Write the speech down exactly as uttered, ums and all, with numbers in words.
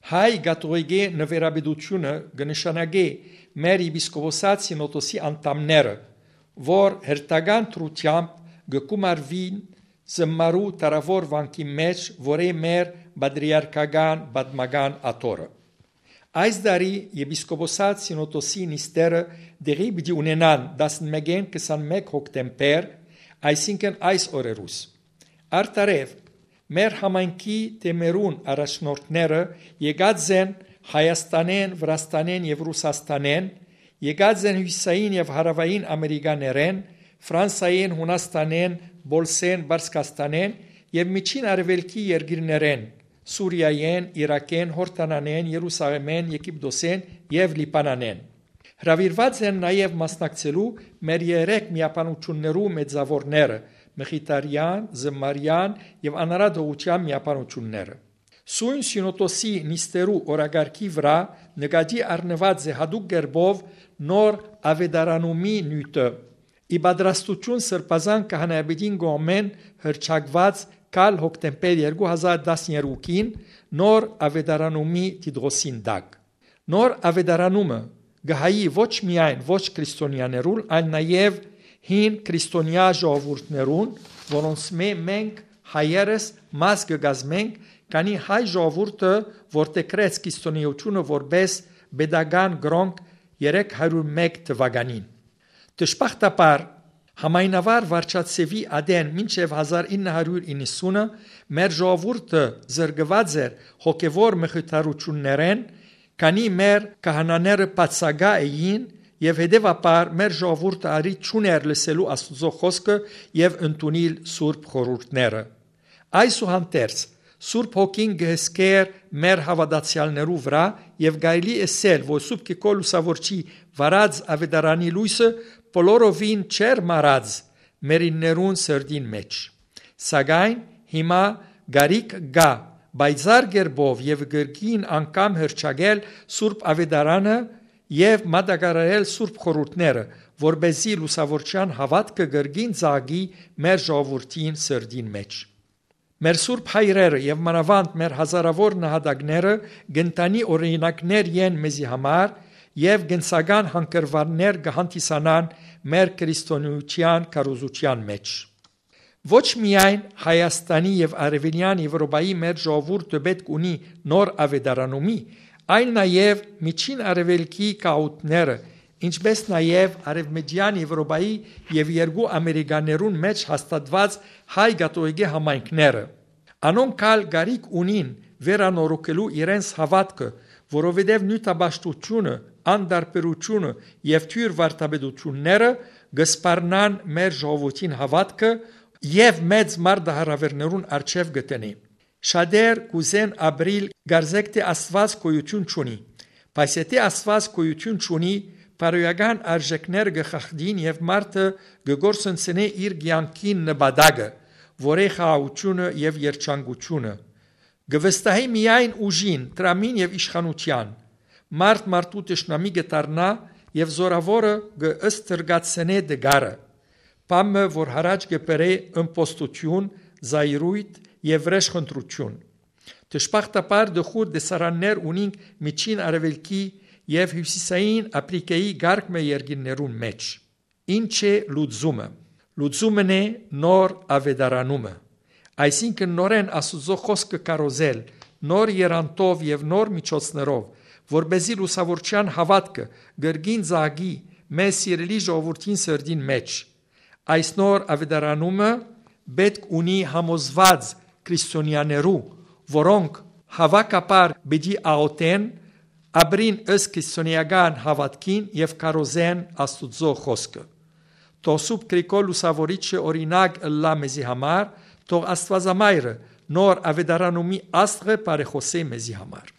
Հայ կաթողիկէ նուիրապետութիւնը կը նշանակէ մեր եպիսկոպոսաց սինոդոսի անդամները, որ հերթական դրութեամբ կը կումարուին զմարու դարաւոր վանքի մէջ, որ է մեր պատրիարքական պատմական աթոռը։ Այս տարի եպիսկոպոսաց սինոդոսի նիստերը տեղի պիտի ունենան տասնմէկէն քսանմէկ հոկտեմբեր, այսինքն այս օրերուս։ Արդարեւ, մեր համայնքի թեմերուն առաջնորդները եկած են Հայաստանէն, Վրաստանէն եւ Ռուսաստանէն, եկած են Հիւսիսային եւ Հարաւային Ամերիկաներէն, Ֆրանսայէն, Յունաստանէն, Պոլսէն, Պարսկաստանէն եւ Միջին Արեւելքի երկիրներէն, Սուրիայէն, Իրաքէն, Յորդանանէն, Երուսաղեմէն, Եգիպտոսէն եւ Լիբանանէն։ Հրաւիրուած են նաեւ մասնակցելու մեր երեք միաբանութիւններու մեծաւորները՝ Մխիթարեան, Զմարեան եւ Անարատ Յովհաննիսեան միաբանութիւնները։ Սոյն սինոդոսի նիստերու օրակարգի վրայ նկատի առնուած է յատուկ կերպով նոր աւետարանումի նիւթը՝ ի պատրաստութիւն Սրբազան Քահանայապետին կողմէն հռչակուած գալ հոկտեմբեր երկու հազար տասներկուին նոր աւետարանումի տիտղոսին տակ։ Նոր աւետարանումը կը հայի ոչ միայն ոչ քրիստոնեաներուն, այլ նաեւ հին քրիստոնեայ ժողովուրդներուն, որոնցմէ մենք հայերս մաս կը կազմենք, քանի հայ ժողովուրդը որդեգրեց քրիստոնէութիւնը որպէս պետական կրօնք երեք հարիւր մէկ թուականին։ Դժբախտաբար, համայնավար վարչացեւի ատեն մինչեւ հազար ինը հարիւր իննսունը մեր ժողովուրդը զրկուած էր հոգեւոր մխիթարութիւններէն, քանի մեր քահանաները բացակայ էին եւ հետեւաբար մեր ժողովուրդը առիթ չունէր լսելու Աստուծոյ խօսքը եւ ընդունիլ սուրբ խորհուրդները։ Այսուհանդերձ, Սուրբ Հոգին կը հսկէր մեր հաւատացեալներու վրայ եւ կարելի ըսել, որ Սուրբ Կիրկոր Լուսաւորչի վարած աւետարանի լոյսը բոլորովին չէր մարած մերիններուն սրտին մէջ։ Սակայն հիմա կարիք կայ պայծառ կերպով եւ կրկին անգամ հռչակել Սուրբ Աւետարանը եւ մատակարարել սուրբ խորհուրդները, որպէսզի Լուսաւորչեան հաւատքը կրկին ծաղկի մեր ժողովուրդին սրտին մէջ։ Մեր սուրբ հայրերը եւ մանաւանդ մեր հազարաւոր նահատակները կ'ընտանի օրինակներ են մեզի համար եւ կենսական հանգրուաններ կը հանդիսանան մեր քրիստոնեութեան քարոզութեան մէջ։ Ոչ միայն Հայաստանի եւ Արեւելեան Եւրոպայի մեր ժողովուրդը պէտք ունի նոր աւետարանումի, այլ նաեւ Միջին Արեւելքի գաղութները, ինչպէս նաեւ Արեւմտեան Եւրոպայի եւ երկու Ամերիկաներուն մէջ հաստատուած հայ կաթողիկէ համայնքները։ Անոնք ալ կարիք ունին վերանորոգելու իրենց հաւատքը, որովհետեւ նիւթապաշտութիւնը, անտարբերութիւնը եւ թիւր վարդապետութիւնները կը սպառնան մեր ժողովուրդին հաւատքը եւ մեծ մարտահրաւէրներուն առջեւ կը դնի։ Շատեր կ'ուզեն ապրիլ կարծեք թէ Աստուած գոյութիւն չունի, բայց եթէ Աստուած գոյութիւն չունի, բարոյական արժէքները կը խախտին եւ մարդը կը կորսնցնէ իր կեանքին նպատակը, որ է խաղաղութիւնը եւ երջանկութիւնը։ Կը վստահի միայն ուժին, դրամին եւ իշխանութեան։ Մարդ մարդու թշնամի կը դառնայ եւ զօրաւորը կը ստրկացնէ տկարը, բան մը, որ յառաջ կը բերէ ըմբոստութիւն, զայրոյթ եւ վրէժխնդրութիւն։ Դժբախտաբար, տխուր տեսարաններ ունինք Միջին Արեւելքի եւ Հիւսիսային Ափրիկայի կարգ մը երկիրներուն մէջ։ Ի՞նչ է լուծումը։ Լուծումն է նոր աւետարանումը, այսինքն՝ նորէն Աստուծոյ խօսքը քարոզել, նոր եռանդով եւ նոր միջոցներով, որպէսզի Լուսաւորչեան հաւատքը կրկին ծաղկի մեր սիրելի ժողովուրդին սրտին մէջ։ Այս նոր աւետարանումը պէտք ունի համոզուած քրիստոնեաներու, որոնք հաւաքաբար պիտի աղօթեն, ապրին ըստ քրիստոնէական հաւատքին եւ քարոզեն Աստուծոյ խօսքը։ Թող Սուրբ Գրիգոր Լուսաւորիչը օրինակ ըլլայ մեզի համար, թող Աստուածամայրը նոր աւետարանումի աստղը բարեխօսէ մեզի համար։